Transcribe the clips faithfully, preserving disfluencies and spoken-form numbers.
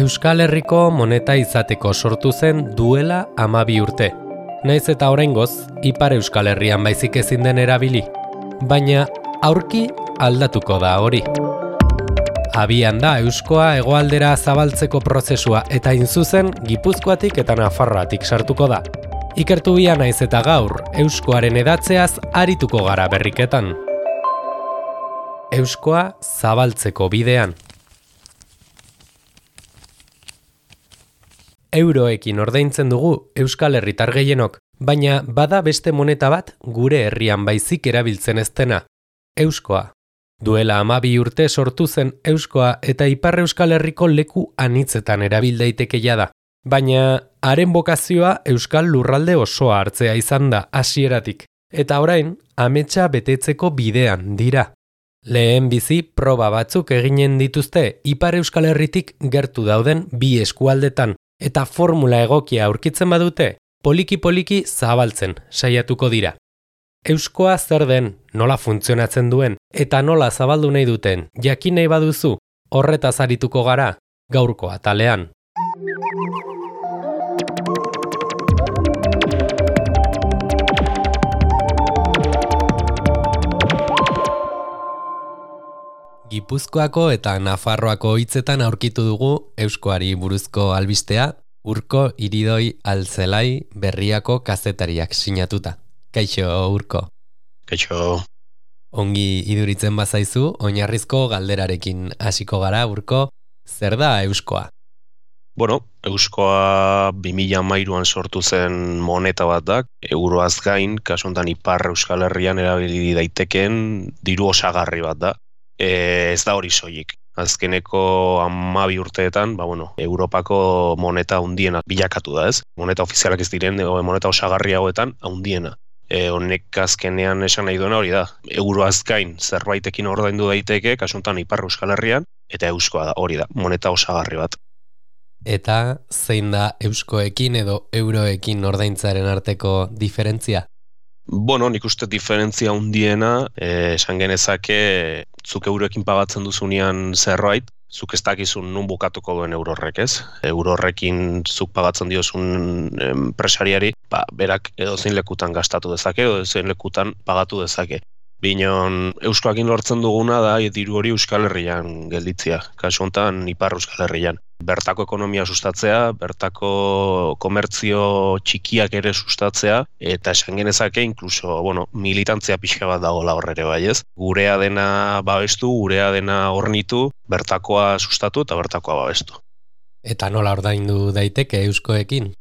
Euskal Herriko moneta izateko sortu zen duela hamabi urte. Naiz eta oraingoz, Ipar Euskal Herrian baizik ezin den erabili. Baina aurki aldatuko da hori. Abian da euskoa hegoaldera zabaltzeko prozesua eta inzuzen Gipuzkoatik eta Nafarroatik sartuko da. Ikertu bia naiz eta gaur, euskoaren edatzeaz arituko gara berriketan. Euskoa zabaltzeko bidean. Euroekin ordaintzen dugu Euskal Herritar gehienok, baina bada beste moneta bat gure herrian baizik erabiltzen ez dena. Euskoa. Duela hamabi urte sortu zen euskoa eta Ipar Euskal Herriko leku anitzetan erabil daiteke jada. Baina haren bokazioa euskal lurralde osoa hartzea izan da hasieratik, eta orain ametsa betetzeko bidean dira. Lehen bizi proba batzuk eginen dituzte Ipar Euskal Herritik gertu dauden bi eskualdetan, eta formula egokia aurkitzen badute, poliki-poliki zabaltzen saiatuko dira. Euskoa zer den, nola funtzionatzen duen, eta nola zabaldu nahi duten, jakin nahi baduzu, horretaz arituko gara, gaurko atalean. Gipuzkoako eta Nafarroako hitzetan aurkitu dugu euskoari buruzko albistea, Urko Iridoi Altzelai Berriako kazetariak sinatuta. Kaixo, Urko. Kaixo. Ongi iduritzen bazaizu, oinarrizko galderarekin hasiko gara, Urko, zer da euskoa? Bueno, euskoa bi mila hamairuan sortu zen moneta bat da, euroaz gain, kasu honetan Ipar Euskal Herrian erabili daitekeen diru osagarri bat da. E, ez da hori soilik. Azkeneko hamabi urteetan, ba, bueno, Europako moneta handiena bilakatu da, ez? Moneta ofizialak ez diren, moneta osagarri hauetan handiena. E, honek azkenean esan nahi duena hori da. Euroaz gain zerbaitekin ordaindu daiteke, kasu honetan Ipar Euskal Herrian, eta euskoa da, hori da, moneta osagarri bat. Eta zein da euskoekin edo euroekin ordaintzaren arteko diferentzia? Bueno, nik uste diferentzia handiena, eh, esan genezake, zuk euroekin pagatzen duzunean zerbait, zuk ez dakizun nun bukatuko duen euro horrek, ez? Euro horrekin zuk pagatzen diozun enpresariari, ba, berak edozein lekutan gastatu dezake, edozein lekutan pagatu dezake. Binon, euskoakin lortzen duguna da diru hori Euskal Herrian gelditzea, kasu honetan Ipar Euskal Herrian. Bertako ekonomia sustatzea, bertako komertzio txikiak ere sustatzea, eta esan genezake, inkluso, bueno, militantzia pixka bat dagoela horrere bai, ez? Gurea dena babestu, gurea dena hornitu, bertakoa sustatu eta bertakoa babestu. Eta nola ordaindu daiteke euskoekin?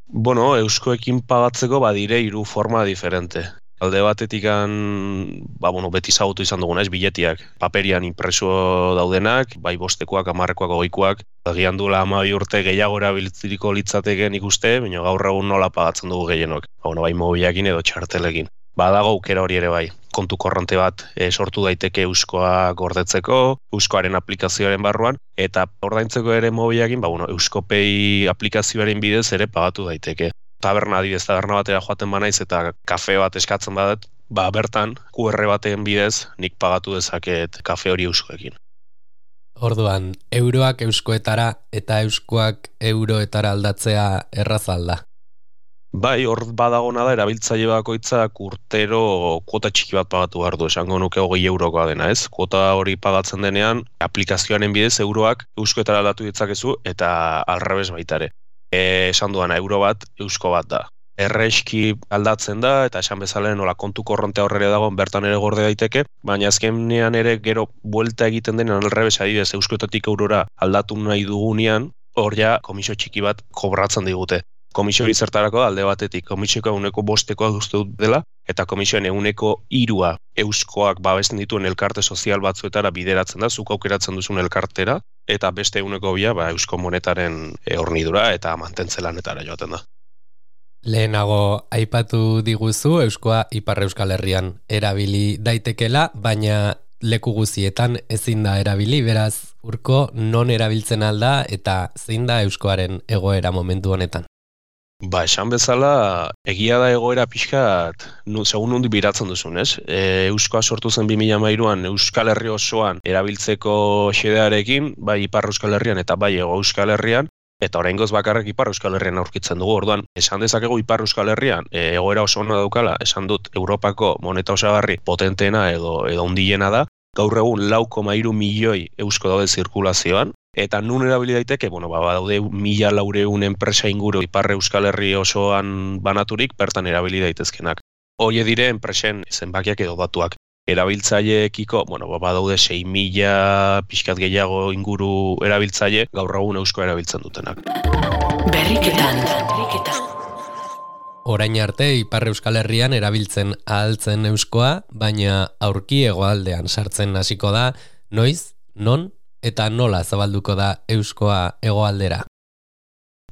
Bueno, euskoekin pagatzeko badire hiru forma diferente. Alde batetik ba, bueno, beti zagutu izan dugun, ez, biletiak. Paperian impreso daudenak, bai bostekoak, hamarrekoak, hogeikoak. Agian duela hamabi urte gehiago erabiltziriko litzateken ikuste, baina gaur egun nola pagatzen dugu gehienok. Ba, bueno, bai mobilakin edo txartelekin. Badago aukera hori ere bai. Kontu korronte bat e, sortu daiteke euskoa gordetzeko, euskoaren aplikazioaren barruan, eta ordaintzeko ere mobilakin, ba, bueno, Euskopay aplikazioaren bidez ere pagatu daiteke. Taberna adibidez, taberna batera joaten banaiz eta kafe bat eskatzen badet, ba bertan Q R baten bidez nik pagatu dezaket kafe hori euskoekin. Orduan, euroak euskoetara eta euskoak euroetara aldatzea erraza alda? Bai, hor badagona da erabiltzaile bakoitzak urtero kuota txiki bat pagatu behar du, esango nuke hogei eurokoa dena, ez? Kuota hori pagatzen denean, aplikazioaren bidez euroak euskoetara aldatu ditzakezu eta alrebez baita ere. E, esan duana, euro bat, eusko bat da. Erreski aldatzen da, eta esan bezala nola kontu korrontea horrere dago, bertan ere gorde daiteke, baina azkenean ere gero buelta egiten denean alrebes adibidez euskoetatik eurora aldatu nahi dugunean, hor ja komisio txiki bat kobratzen digute. Komisio hori zertarako alde batetik, komisioa eguneko bostekoa uste dut dela, eta komisioen eguneko hirua euskoak babesten dituen elkarte sozial batzuetara bideratzen da, zuk aukeratzen duzun elkartera, eta beste eguneko bia ba, eusko monetaren e, hornidura eta mantentze lanetara joaten da. Lehenago aipatu diguzu euskoa Ipar Euskal Herrian erabili daitekela, baina leku guzietan ezin da erabili, beraz, Urko non erabiltzen alda eta zein da euskoaren egoera momentu honetan? Ba, esan bezala, egia da egoera pixkat, nu, segun nundi biratzen duzun, ez? E, Euskoa sortu zen bi mila hamairuan Euskal Herri osoan erabiltzeko xedearekin, bai Ipar Euskal Herrian eta bai Hego Euskal Herrian, eta oraingoz bakarrik Ipar Euskal Herrian aurkitzen dugu. Orduan, esan dezakegu Ipar Euskal Herrian e, egoera oso ona daukala, esan dut Europako moneta osagarri potenteena edo edo handiena da. Gaur egun lau koma hiru milioi eusko daude zirkulazioan, eta nun erabili daiteke, bueno, ba, daude mila laureun enpresa inguru Ipar Euskal Herri osoan banaturik, bertan erabili daitezkenak. Hoie dire enpresen zenbakiak edo datuak. Erabiltzaileekiko, bueno, ba, badaude sei mila pixkat gehiago inguru erabiltzaile, gaur egun euskoa erabiltzen dutenak. Berriketan. Orain arte Ipar Euskal Herrian erabiltzen ahaltzen euskoa, baina aurki hegoaldean sartzen hasiko da, noiz, non, eta nola zabalduko da euskoa hegoaldera?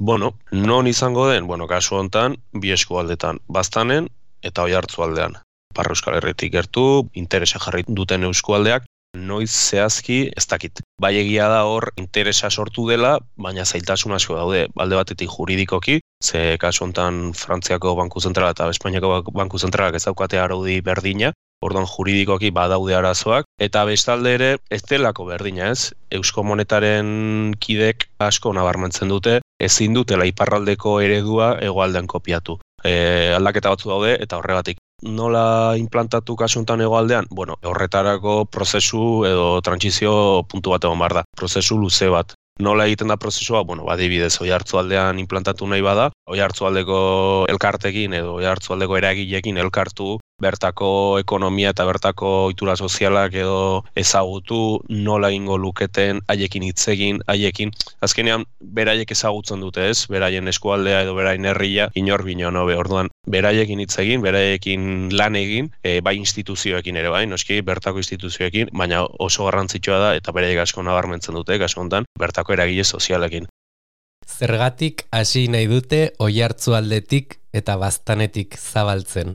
Bueno, non izango den, bueno, kasu hontan, bi eskualdetan, Baztanen eta Oiartzualdean. Ipar Euskal Herritik gertu, interesa jarri duten eskualdeak, noiz zehazki ez dakit. Bai egia da hor interesa sortu dela, baina zailtasun asko daude, alde batetik juridikoki, ze kasu hontan Frantziako Banku Zentrala eta Espainiako Banku Zentralak ez daukate araudi berdina, orduan juridikoki badaude arazoak, eta bestalde ere ez delako berdina, ez? Eusko monetaren kidek asko nabarmentzen dute, ezin dutela iparraldeko eredua hegoaldean kopiatu. E, aldaketa batzu daude eta horregatik. Nola implantatu kasu honetan hegoaldean? Bueno, horretarako prozesu edo trantsizio puntu bat egon behar da. Prozesu luze bat. Nola egiten da prozesua? Bueno, adibidez, Oiartzualdean implantatu nahi bada, Oiartzualdeko elkartekin edo Oiartzualdeko eragileekin elkartu, bertako ekonomia eta bertako ohitura sozialak edo ezagutu, nola egingo luketen, haiekin hitz egin, haiekin. Azkenean, beraiek ezagutzen dute, ez? Beraien eskualdea edo beraien herria, inor bino nobe. Orduan, beraiekin hitz egin, beraiekin lan egin, e, bai instituzioekin ere bai, noski, bertako instituzioekin, baina oso garrantzitsua da eta beraiek asko nabarmentzen dute, kasu honetan, bertako eragile sozialekin. Zergatik hasi nahi dute Oiartzualdetik eta Baztanetik zabaltzen?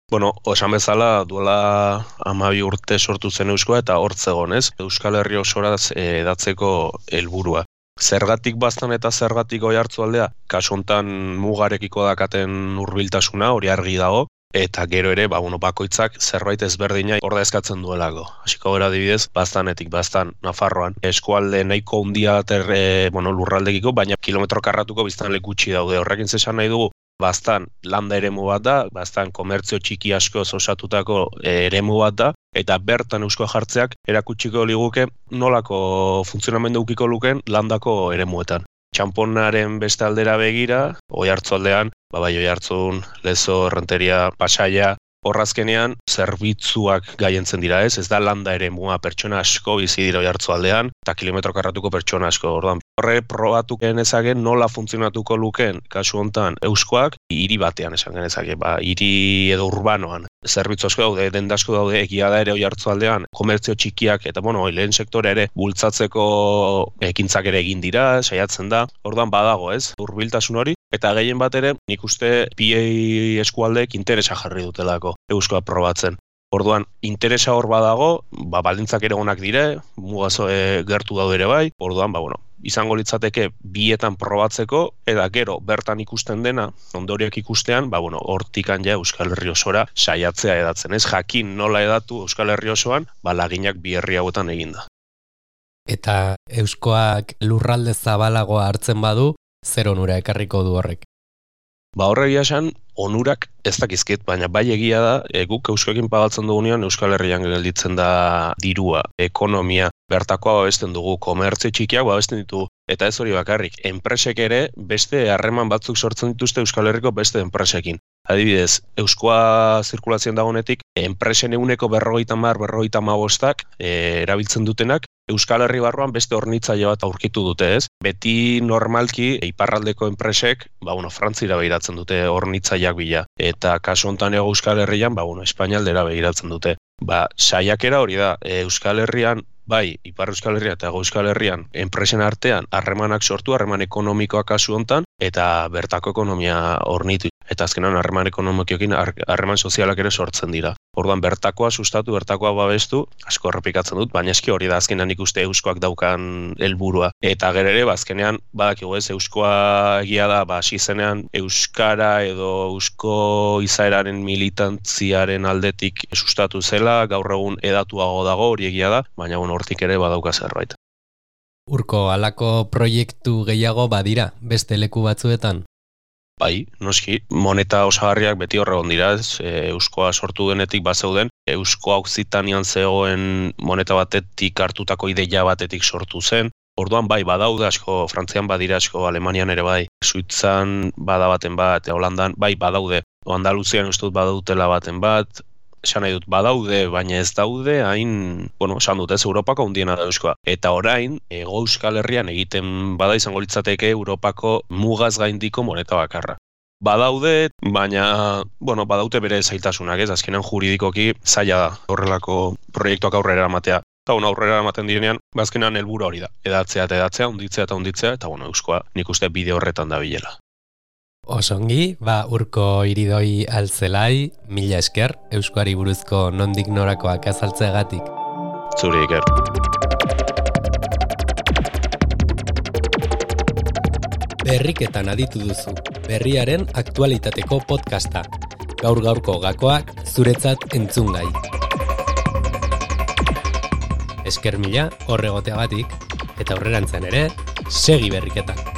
Bueno, osan bezala duela hamabi urte sortu zen euskoa eta hortzegon, ez? Euskal Herri osora edatzeko helburua. Zergatik Baztan eta zergatik Oiartzualdea, kasu hontan mugarekiko dakaten hurbiltasuna, hori argi dago, eta gero ere, ba, bueno, bakoitzak zerbait ezberdina ordezkatzen duelako. Hasiko gara adibidez, Baztanetik, Baztan, Nafarroan, eskualde nahiko handia terre, bueno, lurraldekiko, baina kilometro karratuko biztanle gutxi daude. Horrekin zesan nahi dugu, Baztan landa eremu bat da, Baztan komertzio txiki asko osatutako eremu bat da, eta bertan euskoa jartzeak erakutsiko liguke nolako funtzionamendu ukiko luken landako eremuetan. Txanponaren beste aldera begira, Oiartzualdean, ba bai Oiartzun, Lezo, Errenteria, Pasaia, horrazkenean zerbitzuak gaientzen dira, ez? Ez da landa eremua, pertsona asko bizi dira Oiartzualdean, eta kilometro karratuko pertsona asko. Orduan, horre probatu genezaken nola funtzionatuko luken, kasu hontan, euskoak, hiri batean esan genezake, ba, hiri edo urbanoan. Zerbitzu asko daude, denda asko daude, egia da ere Oiartzualdean, komertzio txikiak, eta bueno, lehen sektore ere, bultzatzeko ekintzak ere egin dira, saiatzen da, orduan badago, ez? Hurbiltasun hori, eta gehien bat ere, nik uste bi eskualdeek interesa jarri dutelako euskoa probatzen. Orduan, interesa hor badago, ba, baldintzak ere onak dire, mugazo e, gertu daude ere bai, orduan, ba, bueno, izango litzateke bietan probatzeko, eta gero bertan ikusten dena, ondorioak ikustean, ba, bueno, hortikan ja Euskal Herri osora saiatzea edatzen, ez? Jakin nola edatu Euskal Herri osoan, ba, laginak bi herri hauetan eginda. Eta euskoak lurralde zabalagoa hartzen badu, zer onura ekarriko du horrek? Ba horregia esan, onurak ez dakizkit, baina bai egia da, e, guk euskoekin pagatzen dugunean Euskal Herrian gelditzen da dirua, ekonomia, bertakoa babesten dugu, komertzio txikiak babesten ditugu, eta ez hori bakarrik, enpresek ere beste harreman batzuk sortzen dituzte Euskal Herriko beste enpresekin. Adibidez, euskoa zirkulazioan dagonetik, enpresen eguneko berrogeita hamar, berrogeita hamabostak e, erabiltzen dutenak, Euskal Herri barruan beste hornitzaile bat aurkitu dute, ez? Beti normalki iparraldeko enpresek, ba bueno, Frantzira begiratzen dute hornitzaileak bila, eta kasu hontan ego Euskal Herrian, ba bueno, Espainialdera begiratzen dute. Ba, saiakera hori da, e, Euskal Herrian, bai, Ipar Euskal Herria eta Hego Euskal Herrian enpresen artean harremanak sortu, harreman ekonomikoak kasu hontan, eta bertako ekonomia hornitu. Eta azkenan harreman ekonomikoekin harreman sozialak ere sortzen dira. Orduan bertakoa sustatu, bertakoa babestu, asko errepikatzen dut, baina eski hori da azkenean ikuste euskoak daukan helburua. Eta gero ere, bazkenean, badakigu ez, euskoa egia da, ba, hasi zenean euskara edo eusko izaeraren militantziaren aldetik sustatu zela, gaur egun edatuago dago, hori egia da, baina bon, hortik ere badauka zerbait. Urko, halako proiektu gehiago badira, beste leku batzuetan? Bai, noski, moneta osagarriak beti horregon dira, ez, e, euskoa sortu denetik bazeuden, euskoa Okzitanian zegoen moneta batetik hartutako ideia batetik sortu zen. Orduan bai, badaude asko, Frantzian badira asko, Alemanian ere bai, Suitzan bada baten bat, Holandan bai badaude, Andaluzian uste dut badautela baten bat, esan nahi dut badaude, baina ez daude, hain, bueno, esan dut ez, Europako hundiena da euskoa. Eta orain, Hego Euskal Herrian egiten bada izango litzateke Europako mugaz gaindiko moneta bakarra. Badaude, baina, bueno, badaute bere zailtasunak, ez, azkenan juridikoki zaila da horrelako proiektuak aurrera eramatea. Eta bueno, aurrera eramaten direnean, azkenan helburu hori da. Edatzea eta edatzea, hunditzea eta hunditzea, eta bueno, euskoa nik uste bide horretan da bilela. Osongi, ba Urko Iridoi Altzelai, mila esker, euskoari buruzko nondik norakoak azaltzeagatik. Zuri iker. Berriketan aditu duzu, berriaren aktualitateko podcasta. Gaur gaurko gakoak zuretzat entzungai. Esker mila horregoteagatik, eta aurrerantzean ere, segi berriketan.